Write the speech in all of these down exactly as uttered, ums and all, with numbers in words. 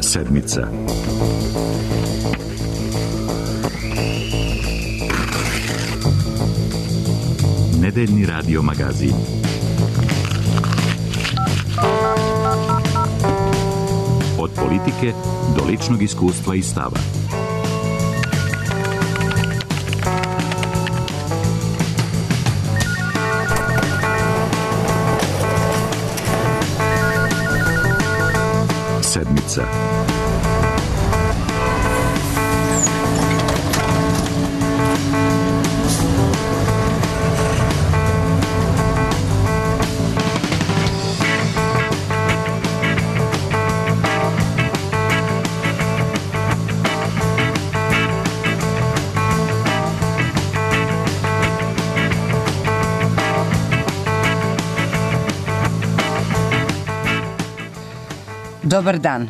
Sedmica. Nedeljni radio magazin. Od politike do ličnog iskustva i stava. Sedmica. Dobar dan.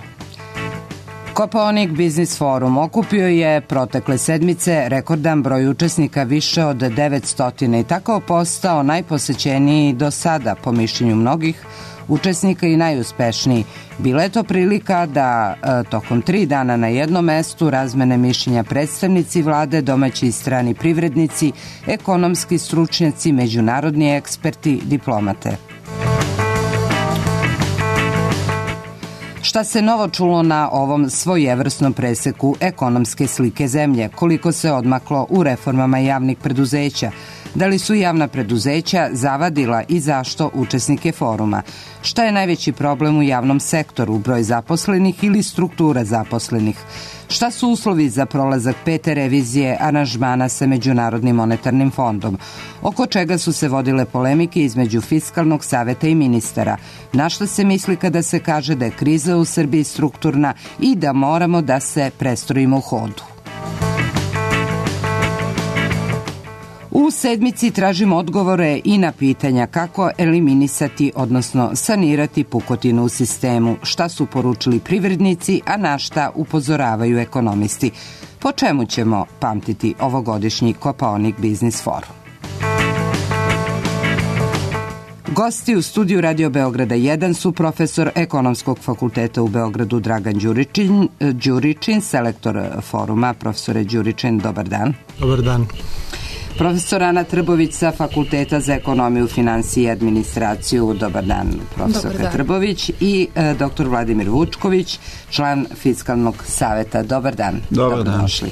Kopaonik Biznis Forum okupio je protekle sedmice rekordan broj učesnika, više od devetsto, i tako postao najposećeniji do sada, po mišljenju mnogih učesnika, i najuspešniji. Bila je to prilika da e, tokom tri dana na jednom mestu razmene mišljenja predstavnici vlade, domaći i strani privrednici, ekonomski stručnjaci, međunarodni eksperti, diplomate. Šta se novo čulo na ovom svojevrsnom preseku ekonomske slike zemlje? Koliko se odmaklo u reformama javnih preduzeća? Da li su javna preduzeća zavadila i zašto učesnike foruma? Šta je najveći problem u javnom sektoru, broj zaposlenih ili struktura zaposlenih? Šta su uslovi za prolazak pete revizije aranžmana sa Međunarodnim monetarnim fondom? Oko čega su se vodile polemike između Fiskalnog saveta i ministara? Na šta se misli kada se kaže da je kriza u Srbiji strukturna i da moramo da se prestrojimo u hodu? U sedmici tražimo odgovore i na pitanja kako eliminisati, odnosno sanirati pukotinu u sistemu, šta su poručili privrednici, a na šta upozoravaju ekonomisti. Po čemu ćemo pamtiti ovogodišnji Kopaonik Biznis Forum? Gosti u studiju Radio Beograda jedan su profesor Ekonomskog fakulteta u Beogradu Dragan Đuričin, Đuričin, selektor foruma. Profesore Đuričin, dobar dan. Dobar dan. Profesor Ana Trbović sa Fakulteta za ekonomiju, finansije i administraciju. Dobar dan, profesorka Trbović. I e, doktor Vladimir Vučković, član Fiskalnog saveta. Dobar dan. Dobar dan. Došli.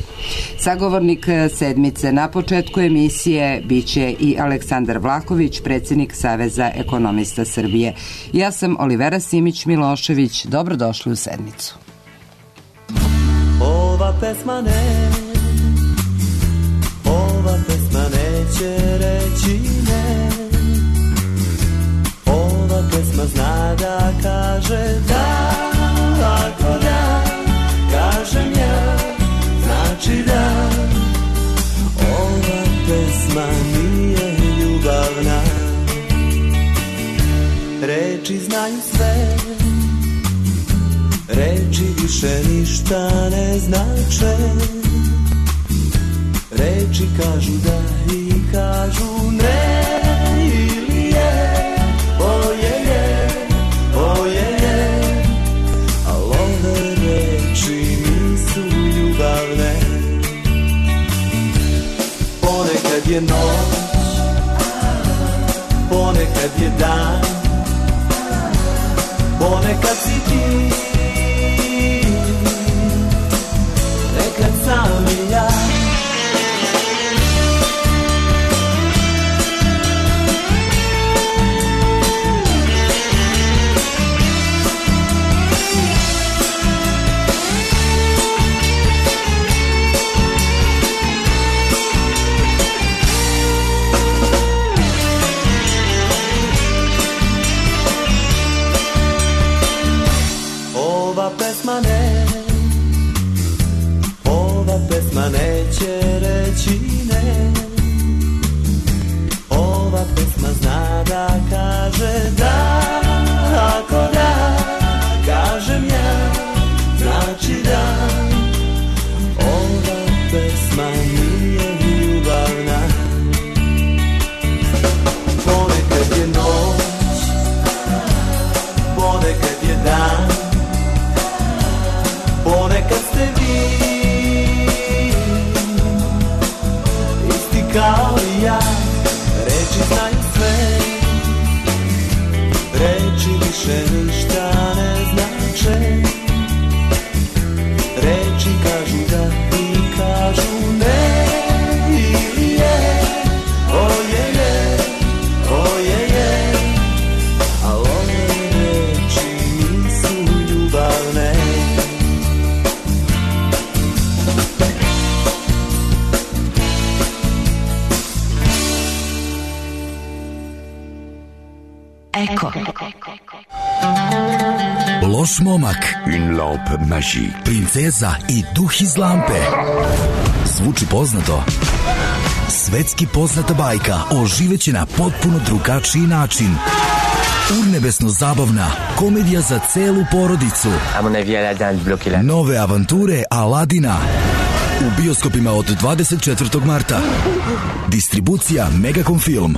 Sagovornik sedmice na početku emisije biće i Aleksandar Vlahović, predsjednik Saveza ekonomista Srbije. Ja sam Olivera Simić-Milošević. Dobrodošli u sedmicu. Ova pesma ne Ova pesma neće reći ne. Ova pesma zna da kaže da. Ako da, kažem ja, znači da. Ova pesma nije ljubavna. Reči znaju sve, reči više ništa ne znače. Reči kažu da i kažu ne, ili je, oje je, oje je, al ove reči nisu ljubavne. Ponekad je noć, ponekad je dan, ponekad si ti, nekad sam i ja. više ništa ne znače. Reči kažu da i kažu ne. Ili je, o je je, o je je. A ove reči nisu ljubavne. Eko. Loš momak, Une lampe magique. princeza i duh iz lampe. Zvuči poznato? Svetski poznata bajka oživeće na potpuno drugačiji način. Urnebesno zabavna komedija za celu porodicu. À mon avis, Aladdin bloqué la... Nove avanture Aladina u bioskopima od dvadeset četvrtog marta. Distribucija Megacom Film.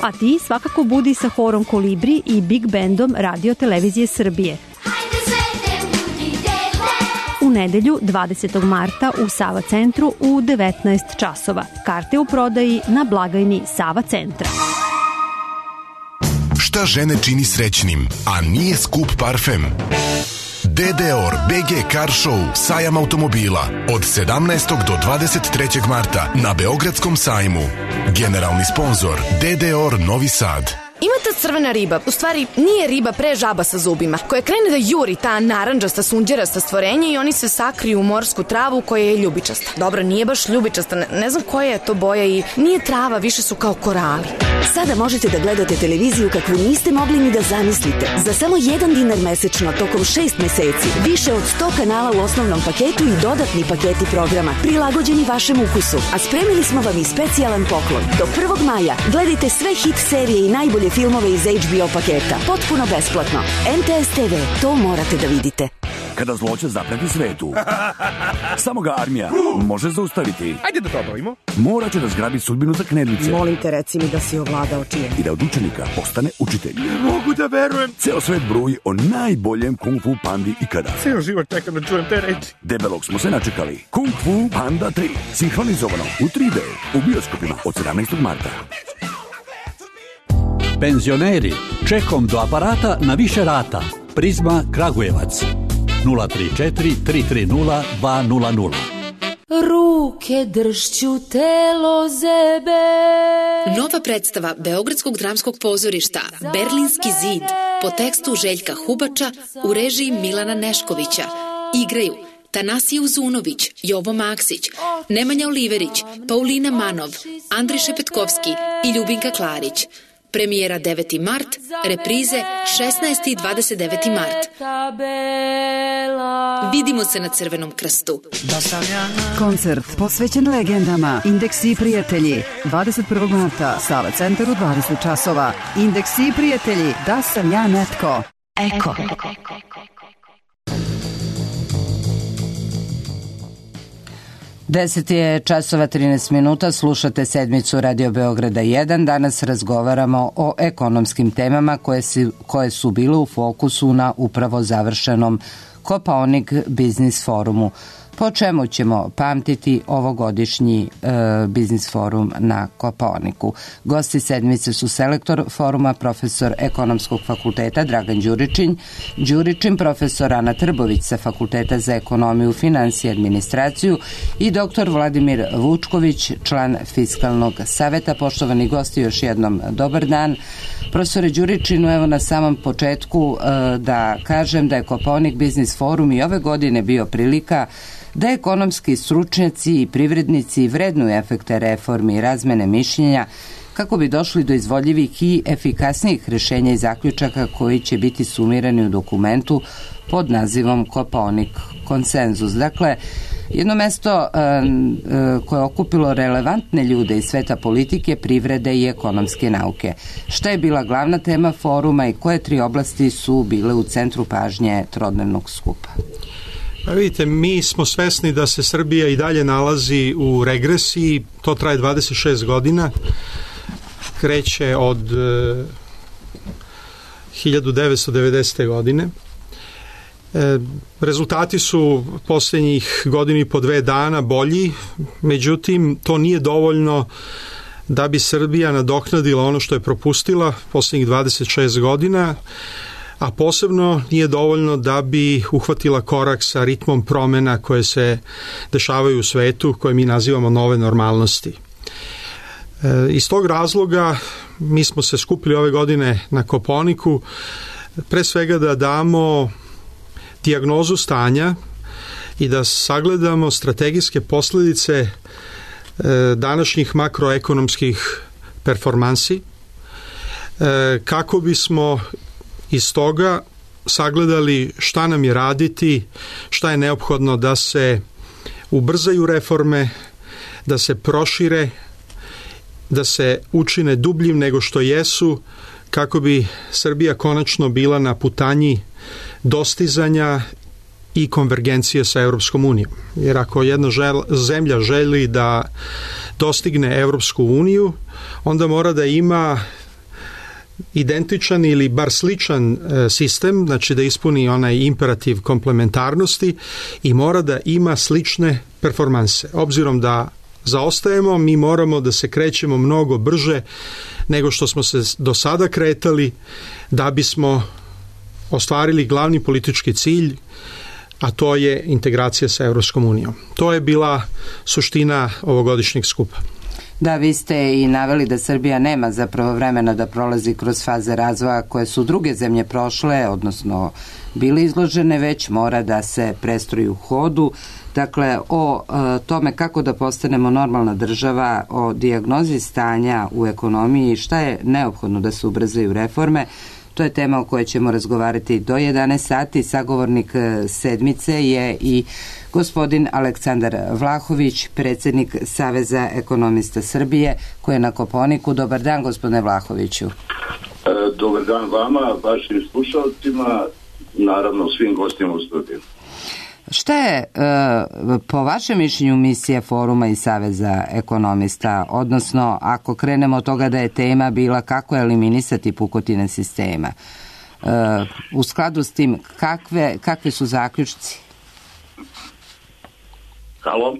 A ti svakako budi sa horom Kolibri i Big Bandom Radio Televizije Srbije. U nedelju dvadesetog marta u Sava centru u devetnaest časova. Karte u prodaji na blagajni Sava centra. Šta žene čini srećnim, a nije skup parfem? D D O R B G Car Show sajam automobila od sedamnaestog do dvadeset trećeg marta na Beogradskom sajmu. Generalni sponzor D D O R Novi Sad. Ima ta crvena riba, u stvari nije riba, pre žaba sa zubima, koja krene da juri ta narandžasta, sunđerasta stvorenja i oni se sakriju u morsku travu koja je ljubičasta. Dobro, nije baš ljubičasta, ne, ne znam koja je to boja i nije trava, više su kao korali. Sada možete da gledate televiziju kakvu niste mogli ni da zamislite. Za samo jedan dinar mesečno tokom šest meseci. Više od sto kanala u osnovnom paketu i dodatni paketi programa prilagođeni vašem ukusu. A spremili smo vam i specijalan poklon. Do prvog maja gledajte sve hit serije i najbolje filmove iz H B O paketa. Potpuno besplatno. N T S T V, to morate da vidite. Kada zloće zapreti svetu, samo ga armija može zaustaviti. Ajde da to obavimo. Morat će da zgrabi sudbinu za knedlice. Molim te, reci mi da si ovladao čijem. I da od učenika postane učitelj. Ne mogu da verujem. Ceo svet bruji o najboljem kung fu pandi ikada. Ceo život čekam da čujem te reči. Debelog smo se načekali. Kung Fu Panda tri. Sinhronizovano u tri D. U bioskopima od sedamnaestog marta. Penzioneri, čekom do aparata na više rata. Prizma Kragujevac. nula tri četiri tri tri nula dva nula nula. Ruke dršću telo zebe. Nova predstava Beogradskog dramskog pozorišta Berlinski zid po tekstu Željka Hubača u režiji Milana Neškovića. Igraju Tanasije Uzunović, Jovo Maksić, Nemanja Oliverić, Paulina Manov, Andriše Petkovski i Ljubinka Klarić. Premijera deveti mart, reprize šesnaesti i dvadeset deveti mart. Vidimo se na Crvenom krstu. Koncert posvećen legendama Indeksi i prijatelji. dvadeset prvog marta, Sava centar u dvadeset časova. Indeksi i prijatelji, da sam ja netko. Eko. deset je časova trinaest minuta, slušate sedmicu Radio Beograda jedan. Danas razgovaramo o ekonomskim temama koje, si, koje su bile u fokusu na upravo završenom Kopaonik Biznis forumu. Po čemu ćemo pamtiti ovogodišnji e, biznis forum na Kopaoniku? Gosti sedmice su selektor foruma, profesor Ekonomskog fakulteta Dragan Đuričin, Đuričin, profesor Ana Trbović sa Fakulteta za ekonomiju, finansije i administraciju i doktor Vladimir Vučković, član Fiskalnog saveta. Poštovani gosti, još jednom dobar dan. Profesore Đuričinu, evo na samom početku e, da kažem da je Kopaonik Biznis forum i ove godine bio prilika da ekonomski stručnjaci i privrednici vrednuju efekte reformi i razmene mišljenja kako bi došli do izvodljivih i efikasnijih rješenja i zaključaka koji će biti sumirani u dokumentu pod nazivom Kopaonik konsenzus. Dakle, jedno mesto e, e, koje je okupilo relevantne ljude iz sveta politike, privrede i ekonomske nauke. Šta je bila glavna tema foruma i koje tri oblasti su bile u centru pažnje trodnevnog skupa? Pa vidite, mi smo svesni da se Srbija i dalje nalazi u regresiji, to traje dvadeset šest godina, kreće od e, hiljadu devetsto devedesete. godine. E, rezultati su posljednjih godinu i po dve dana bolji, međutim to nije dovoljno da bi Srbija nadoknadila ono što je propustila posljednjih dvadeset šest godina, a posebno nije dovoljno da bi uhvatila korak sa ritmom promjena koje se dešavaju u svetu, koje mi nazivamo nove normalnosti. E, iz tog razloga mi smo se skupili ove godine na Kopaoniku, pre svega da damo dijagnozu stanja i da sagledamo strategijske posljedice e, današnjih makroekonomskih performansi, e, kako bismo iz toga sagledali šta nam je raditi, šta je neophodno da se ubrzaju reforme, da se prošire, da se učine dubljim nego što jesu, kako bi Srbija konačno bila na putanji dostizanja i konvergencije sa Europskom unijom. Jer ako jedna žel, zemlja želi da dostigne Europsku uniju, onda mora da ima identičan ili bar sličan e, sistem, znači da ispuni onaj imperativ komplementarnosti i mora da ima slične performanse. Obzirom da zaostajemo, mi moramo da se krećemo mnogo brže nego što smo se do sada kretali da bismo ostvarili glavni politički cilj, a to je integracija sa Europskom unijom. To je bila suština ovogodišnjeg skupa. Da, vi ste i naveli da Srbija nema zapravo vremena da prolazi kroz faze razvoja koje su druge zemlje prošle, odnosno bile izložene, već mora da se prestroji u hodu. Dakle, o e, tome kako da postanemo normalna država, o dijagnozi stanja u ekonomiji, šta je neophodno da se ubrzaju reforme, to je tema o kojoj ćemo razgovarati do jedanaest sati. Sagovornik sedmice je i gospodin Aleksandar Vlahović, predsjednik Saveza ekonomista Srbije, koji je na Kopaoniku. Dobar dan, gospodine Vlahoviću. E, dobar dan vama, vašim slušalcima, naravno svim gostima u studiju. Šta je e, po vašem mišljenju misija foruma i Saveza ekonomista, odnosno ako krenemo od toga da je tema bila kako eliminisati pukotine sistema, e, u skladu s tim kakve, kakve su zaključci? Halo?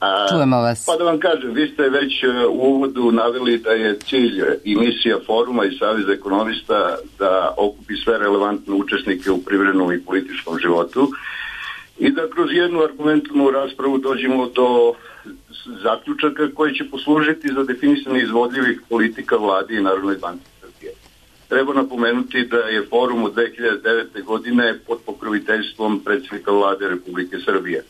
A, Čujemo vas. Pa da vam kažem, vi ste već u uvodu naveli da je cilj i misija foruma i Saveza ekonomista da okupi sve relevantne učesnike u privrednom i političkom životu i da kroz jednu argumentovanu raspravu dođemo do zaključaka koji će poslužiti za definisanje izvodljivih politika vladi i Narodnoj banci Srbije. Treba napomenuti da je forum od dve hiljade devete. godine pod pokroviteljstvom predsjednika vlade Republike Srbije.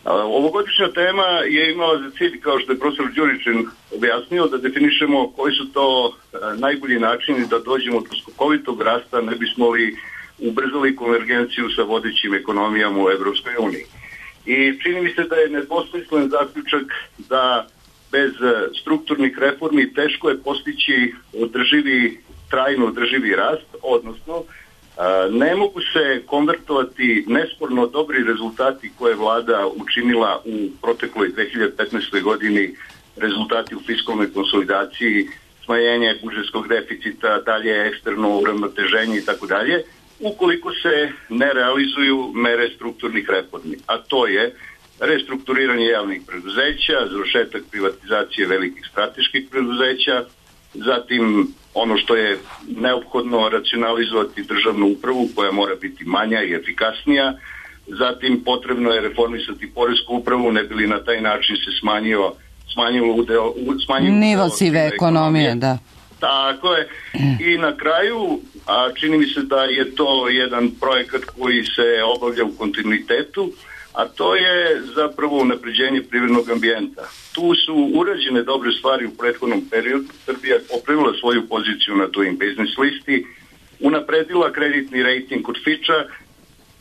Ovogodišnja tema je imala za cilj, kao što je profesor Đuričin objasnio, da definišemo koji su to najbolji načini da dođemo do skokovitog rasta, ne bismo li ubrzali konvergenciju sa vodećim ekonomijama u Evropskoj uniji. I čini mi se da je nedvosmislen zaključak da bez strukturnih reformi teško je postići održivi, trajno održivi rast, odnosno ne mogu se konvertovati nesporno dobri rezultati koje je vlada učinila u protekloj dve hiljade petnaestoj. godini, rezultati u fiskalnoj konsolidaciji, smanjenje budžetskog deficita, dalje eksterno uravnoteženje i tako dalje, ukoliko se ne realizuju mere strukturnih reformi. A to je restrukturiranje javnih preduzeća, završetak privatizacije velikih strateških preduzeća, zatim ono što je neophodno racionalizovati državnu upravu koja mora biti manja i efikasnija, zatim potrebno je reformisati poresku upravu, ne bi li na taj način se smanjio smanjilo udeo, smanjilo nivo sive ekonomije, da. Tako je. I na kraju, a čini mi se da je to jedan projekat koji se obavlja u kontinuitetu, a to je zapravo unapređenje privrednog ambijenta. Tu su urađene dobre stvari u prethodnom periodu. Srbija popravila svoju poziciju na Doing Business listi, unapredila kreditni rejting kod Fitcha,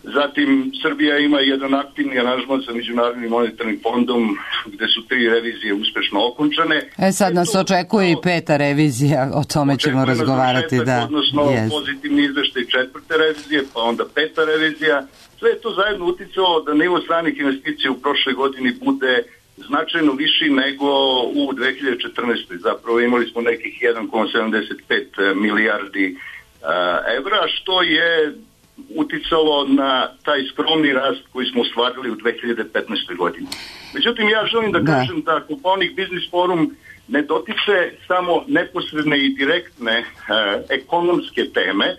zatim Srbija ima jedan aktivni aranžman sa Međunarodnim monetarnim fondom gde su tri revizije uspešno okončane. E sad nas očekuje i peta revizija, o tome ćemo razgovarati. Da. Odnosno yes. Pozitivni izveštaj četvrte revizije, pa onda peta revizija. Sve je to zajedno uticalo da nivo stranih investicija u prošloj godini bude značajno viši nego u dve hiljade četrnaestoj. Zapravo imali smo nekih jedan zarez sedamdeset pet milijardi uh, evra, što je uticalo na taj skromni rast koji smo ostvarili u dve hiljade petnaestoj. godini. Međutim, ja želim da, da. kažem da Kopaonik Biznis Forum ne dotiče samo neposredne i direktne e, ekonomske teme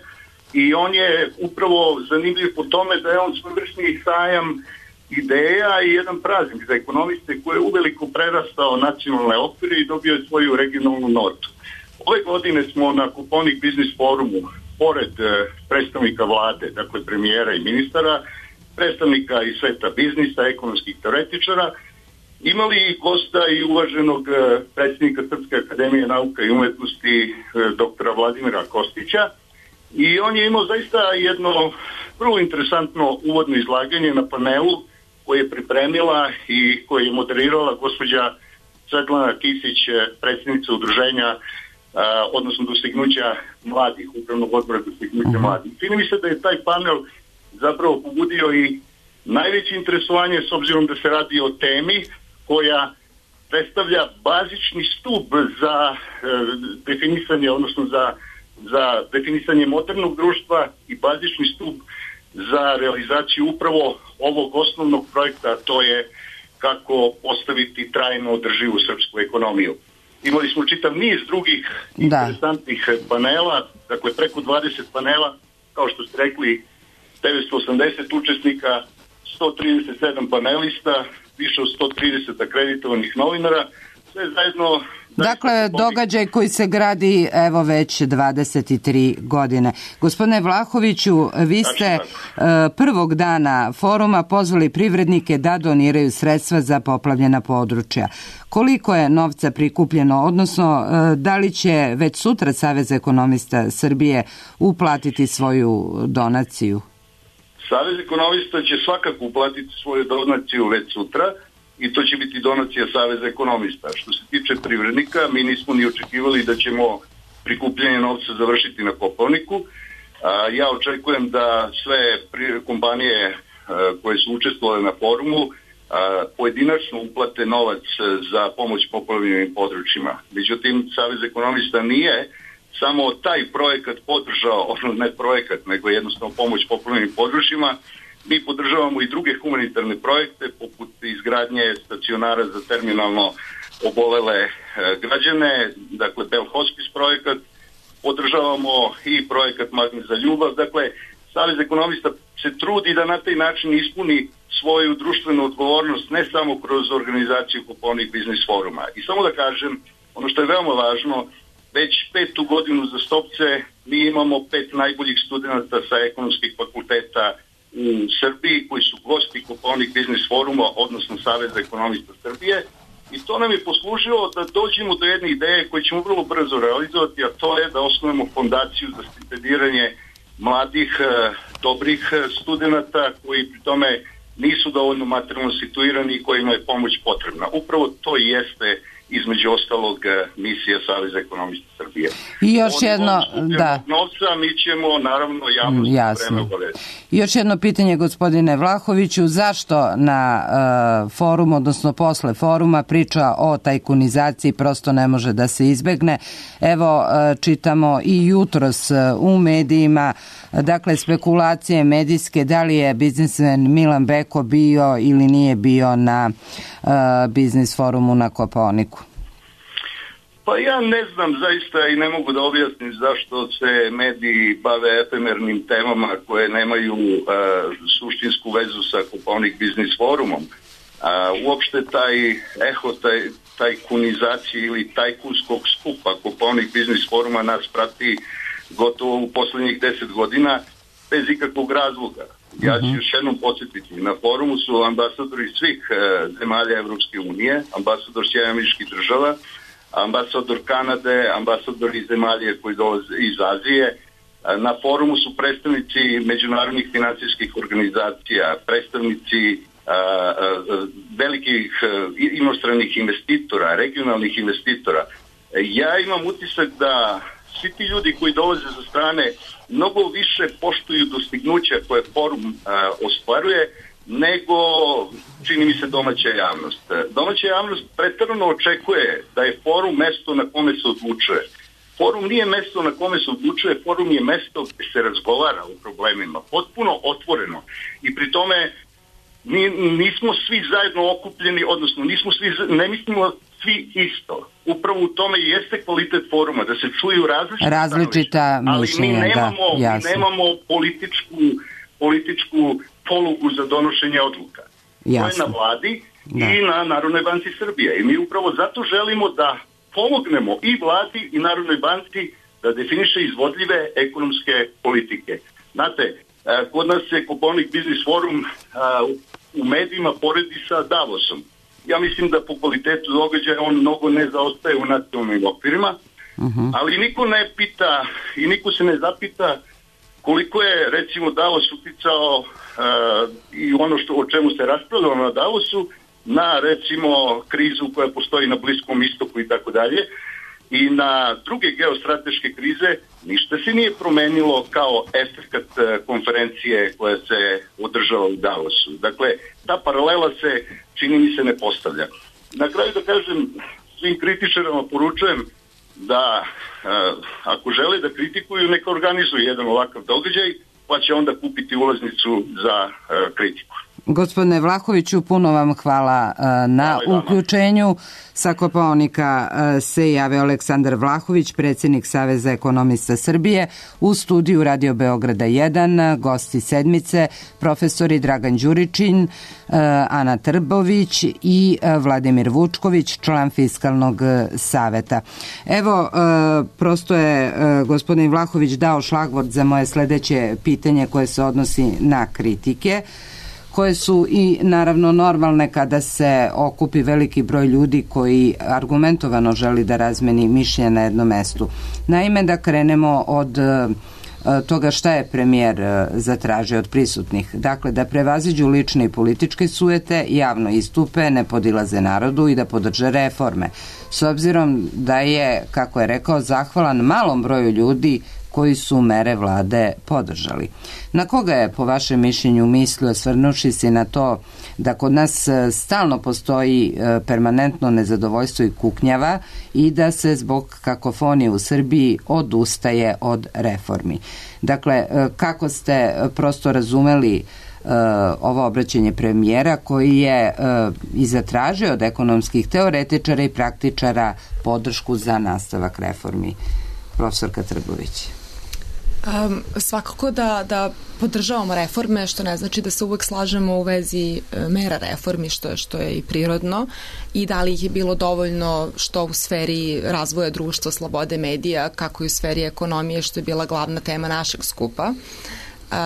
i on je upravo zanimljiv po tome da je on svojevrsni sajam ideja i jedan praznik za ekonomiste koji je uveliko prerastao nacionalne okvire i dobio je svoju regionalnu notu. Ove godine smo na Kopaonik Biznis forumu, pored e, predstavnika vlade, dakle premijera i ministara, predstavnika iz sveta biznisa, ekonomskih teoretičara, imali gosta i uvaženog e, predsjednika Srpske akademije nauka i umetnosti e, doktora Vladimira Kostića i on je imao zaista jedno vrlo interesantno uvodno izlaganje na panelu koje je pripremila i koje je moderirala gospođa Svetlana Kisić, predsjednica udruženja a, odnosno dostignuća mladih, upravnog odbora dostignuća mladih. Čini mi se da je taj panel zapravo pobudio i najveće interesovanje s obzirom da se radi o temi koja predstavlja bazični stup za e, definisanje, odnosno za, za definisanje modernog društva i bazični stup za realizaciju upravo ovog osnovnog projekta, to je kako postaviti trajno održivu srpsku ekonomiju. Imali smo čitav niz drugih da. interesantnih panela, dakle preko dvadeset panela, kao što ste rekli, devetsto osamdeset učesnika, sto trideset sedam panelista, više od sto trideset akreditovanih novinara, sve zajedno... Dakle, događaj koji se gradi evo već dvadeset tri godine. Gospodine Vlahoviću, vi ste prvog dana foruma pozvali privrednike da doniraju sredstva za poplavljena područja. Koliko je novca prikupljeno, odnosno da li će već sutra Savez ekonomista Srbije uplatiti svoju donaciju? Savez ekonomista će svakako uplatiti svoju donaciju već sutra i to će biti donacija Saveza ekonomista. Što se tiče privrednika, mi nismo ni očekivali da ćemo prikupljanje novca završiti na Kopaoniku. Ja očekujem da sve kompanije koje su učestvovale na forumu pojedinačno uplate novac za pomoć poplavljenim područjima. Međutim, Savez ekonomista nije samo taj projekat podržao, ono ne projekat, nego jednostavno pomoć poplavljenim područjima. Mi podržavamo i druge humanitarne projekte, poput izgradnje stacionara za terminalno obolele e, građane, dakle Bell Hospice projekat, podržavamo i projekat Magnet za ljubav. Dakle, Savez ekonomista se trudi da na taj način ispuni svoju društvenu odgovornost ne samo kroz organizaciju Kopaonik Biznis foruma. I samo da kažem, ono što je veoma važno, već petu godinu za stopce mi imamo pet najboljih studenta sa ekonomskih fakulteta u Srbiji koji su gosti Kopaonik Biznis foruma, odnosno Saveza ekonomista Srbije, i to nam je poslužilo da dođemo do jedne ideje koje ćemo vrlo brzo realizovati, a to je da osnovimo fondaciju za stipendiranje mladih, dobrih studenta koji pri tome nisu dovoljno materijalno situirani i kojima je pomoć potrebna. Upravo to i jeste između ostalog misija Saveza ekonomista Srbije. I još Oni jedno, da. Novca mi ćemo naravno javnost Jasno. vreme obavesti. I još jedno pitanje, gospodine Vlahoviću, zašto na uh, forumu, odnosno posle foruma, priča o tajkunizaciji prosto ne može da se izbegne? Evo, uh, čitamo i jutros uh, u medijima, dakle, spekulacije medijske, da li je biznismen Milan Beko bio ili nije bio na uh, biznis forumu na Kopaoniku? Pa ja ne znam zaista i ne mogu da objasnim zašto se mediji bave efemernim temama koje nemaju uh, suštinsku vezu sa Kopaonik Biznis forumom. Uh, uopšte taj eho, taj, tajkunizacije ili tajkunskog skupa Kopaonik Biznis foruma nas prati gotovo u poslednjih deset godina bez ikakvog razloga. Ja ću još jednom podsjetiti, na forumu su ambasadori svih uh, zemalja Evropske unije, ambasador Sjedinjenih Američkih Država, ambasador Kanade, ambasadori zemalja koji dolaze iz Azije. Na forumu su predstavnici međunarodnih finansijskih organizacija, predstavnici a, a, velikih a, inostranih investitora, regionalnih investitora. Ja imam utisak da svi ti ljudi koji dolaze sa strane mnogo više poštuju dostignuća koje forum a, ostvaruje nego, čini mi se, domaća javnost. Domaća javnost preterano očekuje da je forum mesto na kome se odlučuje. Forum nije mesto na kome se odlučuje, forum je mesto gde se razgovara o problemima, potpuno otvoreno. I pri tome Mi nismo svi zajedno okupljeni, odnosno nismo svi, ne mislimo svi isto. Upravo u tome i jeste kvalitet foruma, da se čuju različita, različita mišljenja, ali mi nemamo, da, mi nemamo političku, političku polugu za donošenje odluka. Jasno. To je na vladi da. I na Narodnoj banci Srbije. I mi upravo zato želimo da pomognemo i vladi i Narodnoj banci da definiše izvodljive ekonomske politike. Znate, kod nas se Kopaonik Biznis Forum u medijima poredi sa Davosom. Ja mislim da po kvalitetu događaja on mnogo ne zaostaje u nacionalnim okvirima, uh-huh. ali niko ne pita i niko se ne zapita koliko je recimo Davos uticao uh, i ono što, o čemu se raspravljalo na Davosu na recimo krizu koja postoji na Bliskom istoku i tako dalje i na druge geostrateške krize ništa se nije promenilo kao efekat konferencije koja se održava u Davosu. Dakle, ta paralela se čini mi se ne postavlja. Na kraju da kažem, svim kritičarima poručujem da uh, ako žele da kritikuju, neka organizuju jedan ovakav događaj, pa će onda kupiti ulaznicu za uh, kritiku. Gospodine Vlahoviću, puno vam hvala uh, na hvala uključenju. Sa Kopaonika uh, se javio Aleksandar Vlahović, predsjednik Saveza ekonomista Srbije. U studiju Radio Beograda jedan, gosti sedmice, profesori Dragan Đuričin, uh, Ana Trbović i uh, Vladimir Vučković, član Fiskalnog saveta. Evo, uh, prosto je uh, gospodin Vlahović dao šlagvort za moje sledeće pitanje koje se odnosi na kritike, koje su i naravno normalne kada se okupi veliki broj ljudi koji argumentovano želi da razmeni mišljenje na jednom mestu. Naime, da krenemo od toga šta je premijer zatražio od prisutnih. Dakle, da prevaziđu lične i političke sujete, javno istupe, ne podilaze narodu i da podrže reforme. S obzirom da je, kako je rekao, zahvalan malom broju ljudi koji su mere vlade podržali. Na koga je, po vašem mišljenju, mislio, svrnuši se na to da kod nas stalno postoji permanentno nezadovoljstvo i kuknjava i da se zbog kakofonije u Srbiji odustaje od reformi? Dakle, kako ste prosto razumeli ovo obraćanje premijera koji je i zatražio od ekonomskih teoretičara i praktičara podršku za nastavak reformi? Profesorka Trbović. Um, svakako da, da podržavamo reforme, što ne znači da se uvek slažemo u vezi e, mera reformi, što, što je i prirodno, i da li ih je bilo dovoljno što u sferi razvoja društva, slobode medija, kako i u sferi ekonomije, što je bila glavna tema našeg skupa. Uh,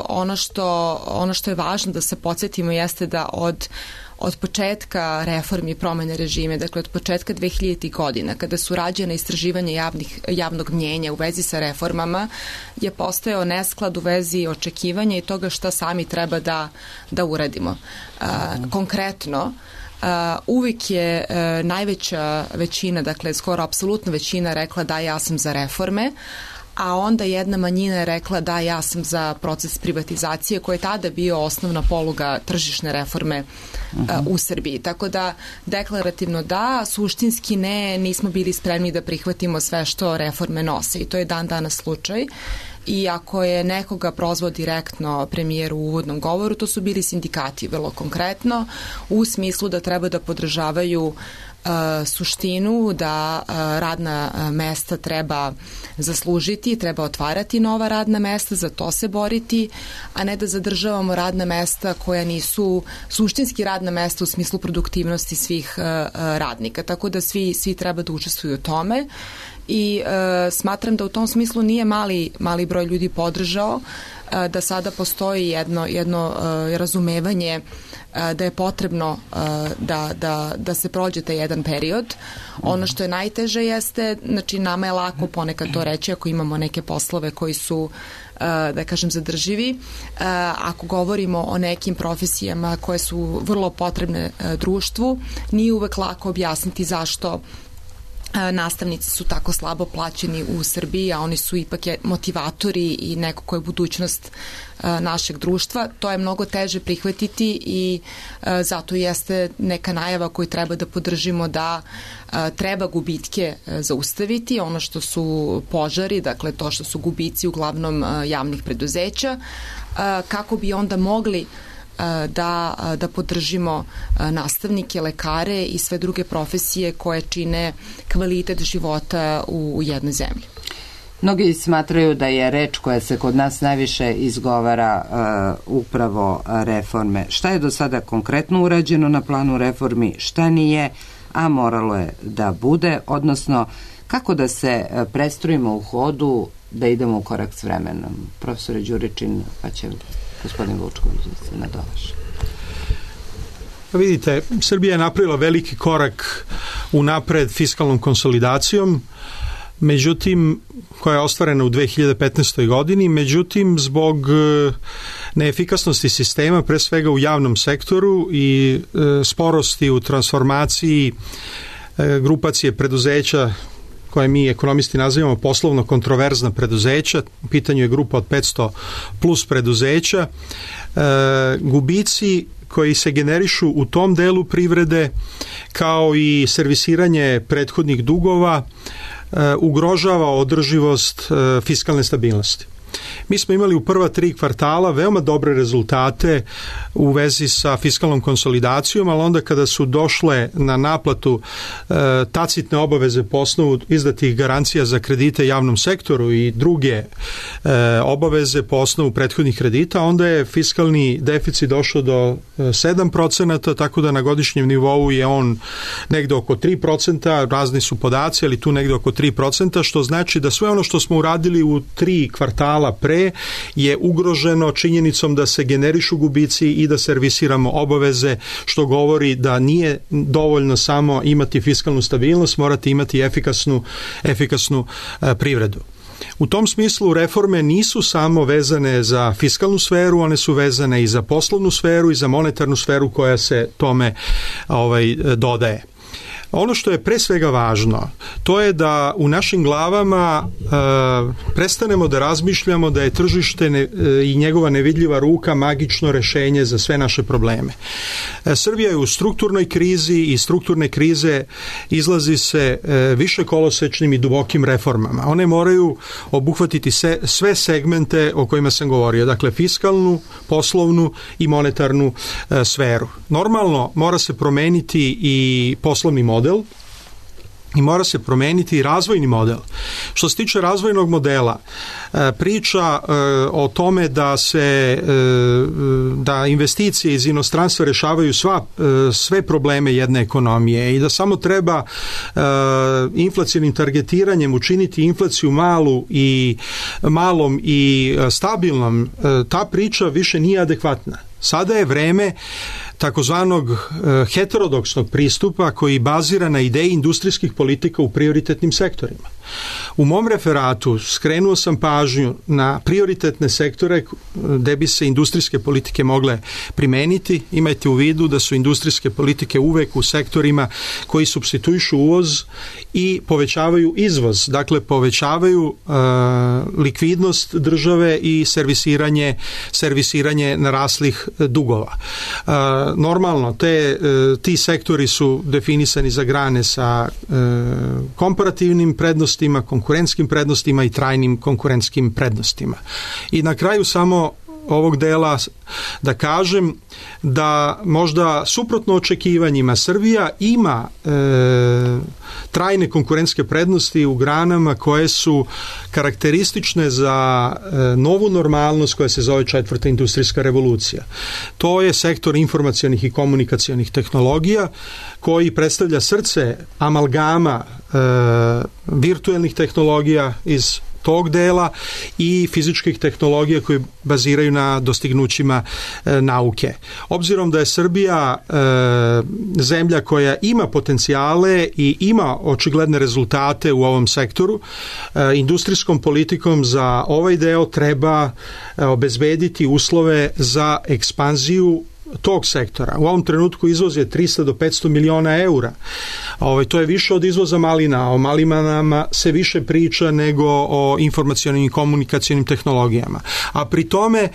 ono, što, ono što je važno da se podsjetimo jeste da od od početka reformi i promene režime, dakle od početka dvehiljaditih godina, kada su rađene istraživanje javnih, javnog mnjenja u vezi sa reformama, je postojao nesklad u vezi očekivanja i toga šta sami treba da, da uradimo. Uh, konkretno, Uh, uvijek je uh, najveća većina, dakle skoro apsolutna većina rekla da ja sam za reforme, a onda jedna manjina je rekla da ja sam za proces privatizacije koji je tada bio osnovna poluga tržišne reforme uh, u Srbiji. Tako da deklarativno da, suštinski ne, nismo bili spremni da prihvatimo sve što reforme nose i to je dan danas slučaj. I ako je nekoga prozvao direktno premijer u uvodnom govoru, to su bili sindikati, vrlo konkretno, u smislu da treba da podržavaju uh, suštinu, da uh, radna mesta treba zaslužiti, treba otvarati nova radna mesta, za to se boriti, a ne da zadržavamo radna mesta koja nisu suštinski radna mesta u smislu produktivnosti svih uh, radnika. Tako da svi, svi treba da učestvuju u tome. I e, smatram da u tom smislu nije mali, mali broj ljudi podržao, e, da sada postoji jedno, jedno e, razumevanje e, da je potrebno e, da, da, da se prođe taj jedan period. Ono što je najteže jeste, znači nama je lako ponekad to reći ako imamo neke poslove koji su da kažem zadrživi. Ako govorimo o nekim profesijama koje su vrlo potrebne društvu, nije uvek lako objasniti zašto nastavnici su tako slabo plaćeni u Srbiji, a oni su ipak motivatori i neko ko je budućnost našeg društva. To je mnogo teže prihvatiti i zato jeste neka najava koju treba da podržimo da treba gubitke zaustaviti, ono što su požari, dakle to što su gubici uglavnom javnih preduzeća, kako bi onda mogli da, da podržimo nastavnike, lekare i sve druge profesije koje čine kvalitet života u, u jednoj zemlji. Mnogi smatraju da je reč koja se kod nas najviše izgovara uh, upravo reforme. Šta je do sada konkretno urađeno na planu reformi, šta nije, a moralo je da bude, odnosno kako da se prestrojimo u hodu, da idemo u korak s vremenom. Profesore Đuričin, pa će gospodin Vučković da se nadovaše. Vidite, Srbija je napravila veliki korak unapred fiskalnom konsolidacijom, međutim, koja je ostvarena u dve hiljade petnaestoj godini, međutim, zbog neefikasnosti sistema, pre svega u javnom sektoru i e, sporosti u transformaciji e, grupacije preduzeća koje mi ekonomisti nazivamo poslovno kontroverzna preduzeća, u pitanju je grupa od petsto plus preduzeća, e, gubici koji se generišu u tom delu privrede, kao i servisiranje prethodnih dugova, ugrožava održivost fiskalne stabilnosti. Mi smo imali u prva tri kvartala veoma dobre rezultate u vezi sa fiskalnom konsolidacijom, ali onda kada su došle na naplatu e, tacitne obaveze po osnovu izdatih garancija za kredite javnom sektoru i druge e, obaveze po osnovu prethodnih kredita, onda je fiskalni deficit došao do sedam procenata, tako da na godišnjem nivou je on negde oko tri procenta, razni su podaci, ali tu negde oko tri procenta, što znači da sve ono što smo uradili u tri kvartala pre je ugroženo činjenicom da se generišu gubici i da servisiramo obaveze, što govori da nije dovoljno samo imati fiskalnu stabilnost, morate imati efikasnu, efikasnu e, privredu. U tom smislu reforme nisu samo vezane za fiskalnu sferu, one su vezane i za poslovnu sferu i za monetarnu sferu koja se tome ovaj, dodaje. Ono što je pre svega važno, to je da u našim glavama e, prestanemo da razmišljamo da je tržište ne, e, i njegova nevidljiva ruka magično rešenje za sve naše probleme. E, Srbija je u strukturnoj krizi i strukturne krize izlazi se e, više kolosečnim i dubokim reformama. One moraju obuhvatiti se, sve segmente o kojima sam govorio, dakle fiskalnu, poslovnu i monetarnu e, sferu. Normalno mora se promeniti i poslovni model, model i mora se promeniti i razvojni model. Što se tiče razvojnog modela, priča o tome da se da investicije iz inostranstva rešavaju sva, sve probleme jedne ekonomije i da samo treba inflacionim targetiranjem učiniti inflaciju malu i malom i stabilnom, ta priča više nije adekvatna. Sada je vreme takozvanog heterodoksnog pristupa koji bazira na ideji industrijskih politika u prioritetnim sektorima. U mom referatu skrenuo sam pažnju na prioritetne sektore gde bi se industrijske politike mogle primeniti. Imajte u vidu da su industrijske politike uvek u sektorima koji supstituišu uvoz i povećavaju izvoz, dakle povećavaju uh, likvidnost države i servisiranje, servisiranje naraslih dugova. Uh, normalno, te, uh, ti sektori su definisani za grane sa uh, komparativnim prednostima, konkurentskim prednostima i trajnim konkurentskim prednostima. I na kraju samo ovog dela da kažem da možda suprotno očekivanjima Srbija ima e, trajne konkurentske prednosti u granama koje su karakteristične za e, novu normalnost koja se zove četvrta industrijska revolucija. To je sektor informacionih i komunikacionih tehnologija koji predstavlja srce amalgama e, virtuelnih tehnologija iz tog dela i fizičkih tehnologija koje baziraju na dostignućima e, nauke. Obzirom da je Srbija e, zemlja koja ima potencijale i ima očigledne rezultate u ovom sektoru, e, industrijskom politikom za ovaj deo treba e, obezbediti uslove za ekspanziju tog sektora. U ovom trenutku izvoz je tristo do petsto miliona eura. Ovaj, to je više od izvoza malina. O malinama se više priča nego o informacionim i komunikacionim tehnologijama. A pri tome e,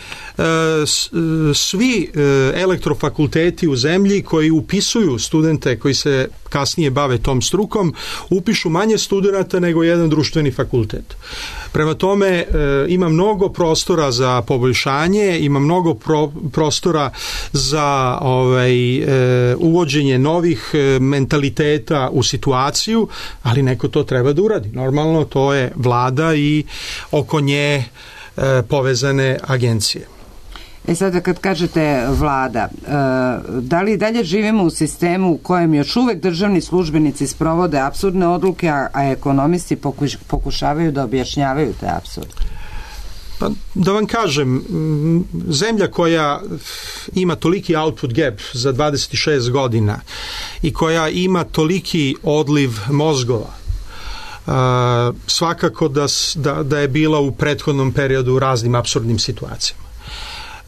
svi e, elektrofakulteti u zemlji koji upisuju studente koji se kasnije bave tom strukom, upišu manje studenata nego jedan društveni fakultet. Prema tome e, ima mnogo prostora za poboljšanje, ima mnogo pro, prostora za ovaj, e, uvođenje novih e, mentaliteta u situaciju, ali neko to treba da uradi. Normalno to je vlada i oko nje e, povezane agencije. E sada kad kažete vlada, e, da li dalje živimo u sistemu u kojem još uvek državni službenici sprovode apsurdne odluke, a, a ekonomisti pokuš, pokušavaju da objašnjavaju te apsurde? Pa, da vam kažem, zemlja koja ima toliki output gap za dvadeset šest godina i koja ima toliki odliv mozgova, Uh, svakako da, da, da je bila u prethodnom periodu u raznim apsurdnim situacijama.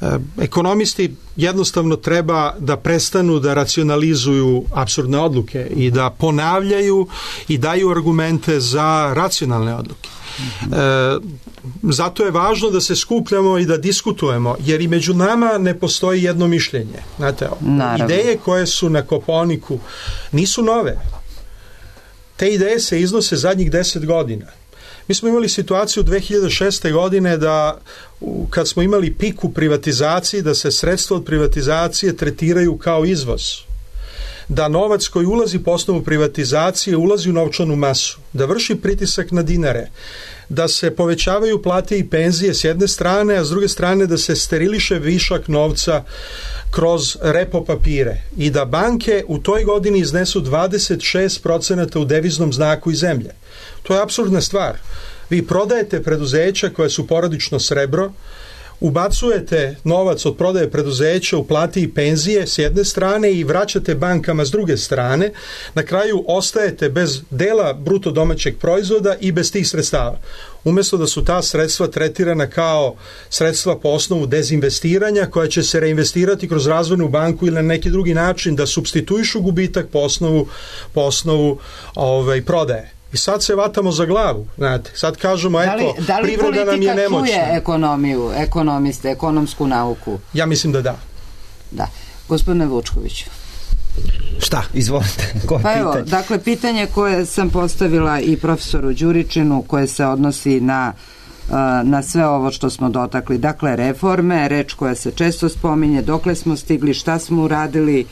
Uh, ekonomisti jednostavno treba da prestanu da racionalizuju apsurdne odluke i da ponavljaju i daju argumente za racionalne odluke. E, zato je važno da se skupljamo i da diskutujemo, jer i među nama ne postoji jedno mišljenje. Znate, ideje koje su na Koponiku nisu nove. Te ideje se iznose zadnjih deset godina. Mi smo imali situaciju dve hiljade šeste. godine da kad smo imali pik u privatizaciji, da se sredstva od privatizacije tretiraju kao izvoz. Da novac koji ulazi po osnovu privatizacije ulazi u novčanu masu, da vrši pritisak na dinare, da se povećavaju plate i penzije s jedne strane, a s druge strane da se steriliše višak novca kroz repo papire i da banke u toj godini iznesu dvadeset šest procenata u deviznom znaku iz zemlje. To je apsurdna stvar. Vi prodajete preduzeća koja su porodično srebro, ubacujete novac od prodaje preduzeća u plati i penzije s jedne strane i vraćate bankama s druge strane, na kraju ostajete bez dela bruto domaćeg proizvoda i bez tih sredstava. Umjesto da su ta sredstva tretirana kao sredstva po osnovu dezinvestiranja koja će se reinvestirati kroz razvojnu banku ili na neki drugi način da supstituišu gubitak po osnovu, po osnovu ovaj, prodaje. I sad se vatamo za glavu, znate. Sad kažemo, eto, da li, da li privreda nam je nemoćna. Da li politika čuje ekonomiju, ekonomiste, ekonomsku nauku? Ja mislim da da. Da. Gospodine Vučkoviću. Šta? Izvolite. Koje pa evo, pitanje? dakle, pitanje koje sam postavila i profesoru Đuričinu, koje se odnosi na na sve ovo što smo dotakli. Dakle, reforme, reč koja se često spominje, dokle smo stigli, šta smo uradili,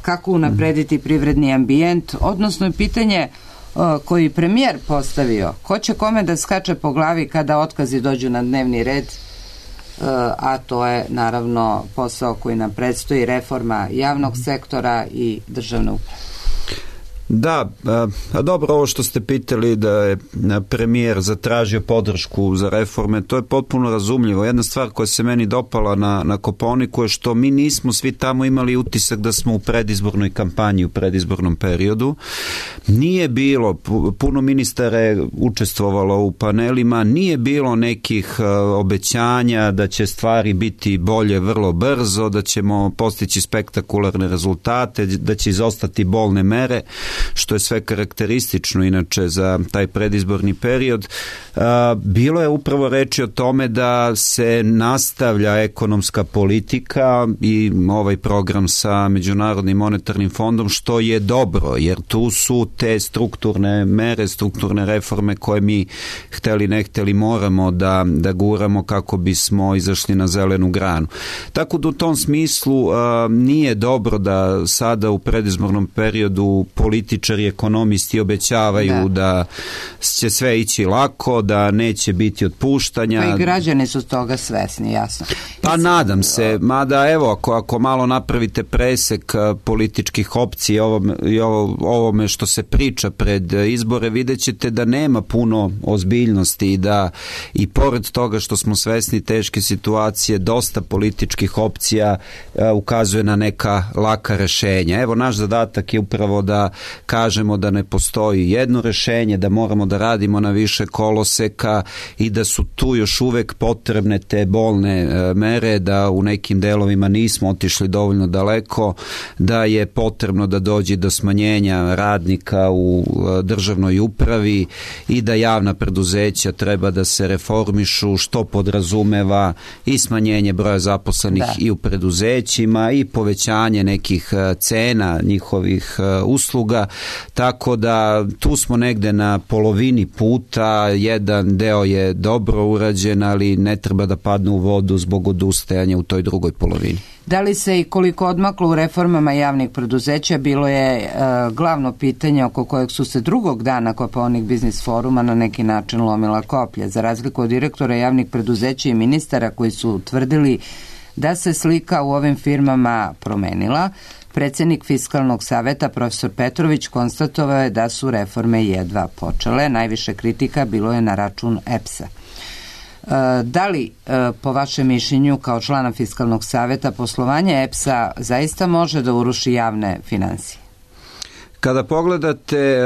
kako unaprediti privredni ambijent, odnosno je pitanje koji premijer postavio, ko će kome da skače po glavi kada otkazi dođu na dnevni red, a to je naravno posao koji nam predstoji, reforma javnog sektora i državne uprave. Da, a dobro, ovo što ste pitali da je premijer zatražio podršku za reforme, to je potpuno razumljivo. Jedna stvar koja se meni dopala na, na Koponiku je što mi nismo svi tamo imali utisak da smo u predizbornoj kampanji, u predizbornom periodu. Nije bilo, puno ministara je učestvovalo u panelima, nije bilo nekih obećanja da će stvari biti bolje vrlo brzo, da ćemo postići spektakularne rezultate, da će izostati bolne mere, što je sve karakteristično inače za taj predizborni period. Bilo je upravo reči o tome da se nastavlja ekonomska politika i ovaj program sa Međunarodnim monetarnim fondom, što je dobro, jer tu su te strukturne mere, strukturne reforme koje mi hteli ne hteli moramo da, da guramo kako bismo izašli na zelenu granu. Tako da u tom smislu nije dobro da sada u predizbornom periodu političari, ekonomisti obećavaju da. da će sve ići lako, da neće biti otpuštanja. Pa i građani su toga svesni, jasno. Pa nadam se, mada evo, ako, ako malo napravite presek političkih opcija ovome, i ovo, ovome što se priča pred izbore, vidjet ćete da nema puno ozbiljnosti i da i pored toga što smo svesni teške situacije, dosta političkih opcija uh, ukazuje na neka laka rešenja. Evo, naš zadatak je upravo da kažemo da ne postoji jedno rešenje, da moramo da radimo na više koloseka i da su tu još uvek potrebne te bolne mere, da u nekim delovima nismo otišli dovoljno daleko, da je potrebno da dođe do smanjenja radnika u državnoj upravi i da javna preduzeća treba da se reformišu, što podrazumeva i smanjenje broja zaposlenih da. i u preduzećima i povećanje nekih cena njihovih usluga, tako da tu smo negde na polovini puta, jedan deo je dobro urađen, ali ne treba da padne u vodu zbog odustajanja u toj drugoj polovini. Da li se i koliko odmaklo u reformama javnih preduzeća bilo je e, glavno pitanje oko kojeg su se drugog dana Kopaonik biznis foruma na neki način lomila koplja, za razliku od direktora javnih preduzeća i ministara koji su tvrdili da se slika u ovim firmama promenila. Predsjednik Fiskalnog saveta profesor Petrović konstatovao je da su reforme jedva počele. Najviše kritika bilo je na račun E P S-a. Da li, po vašem mišljenju, kao člana Fiskalnog saveta, poslovanje E P S-a zaista može da uruši javne finansije? Kada pogledate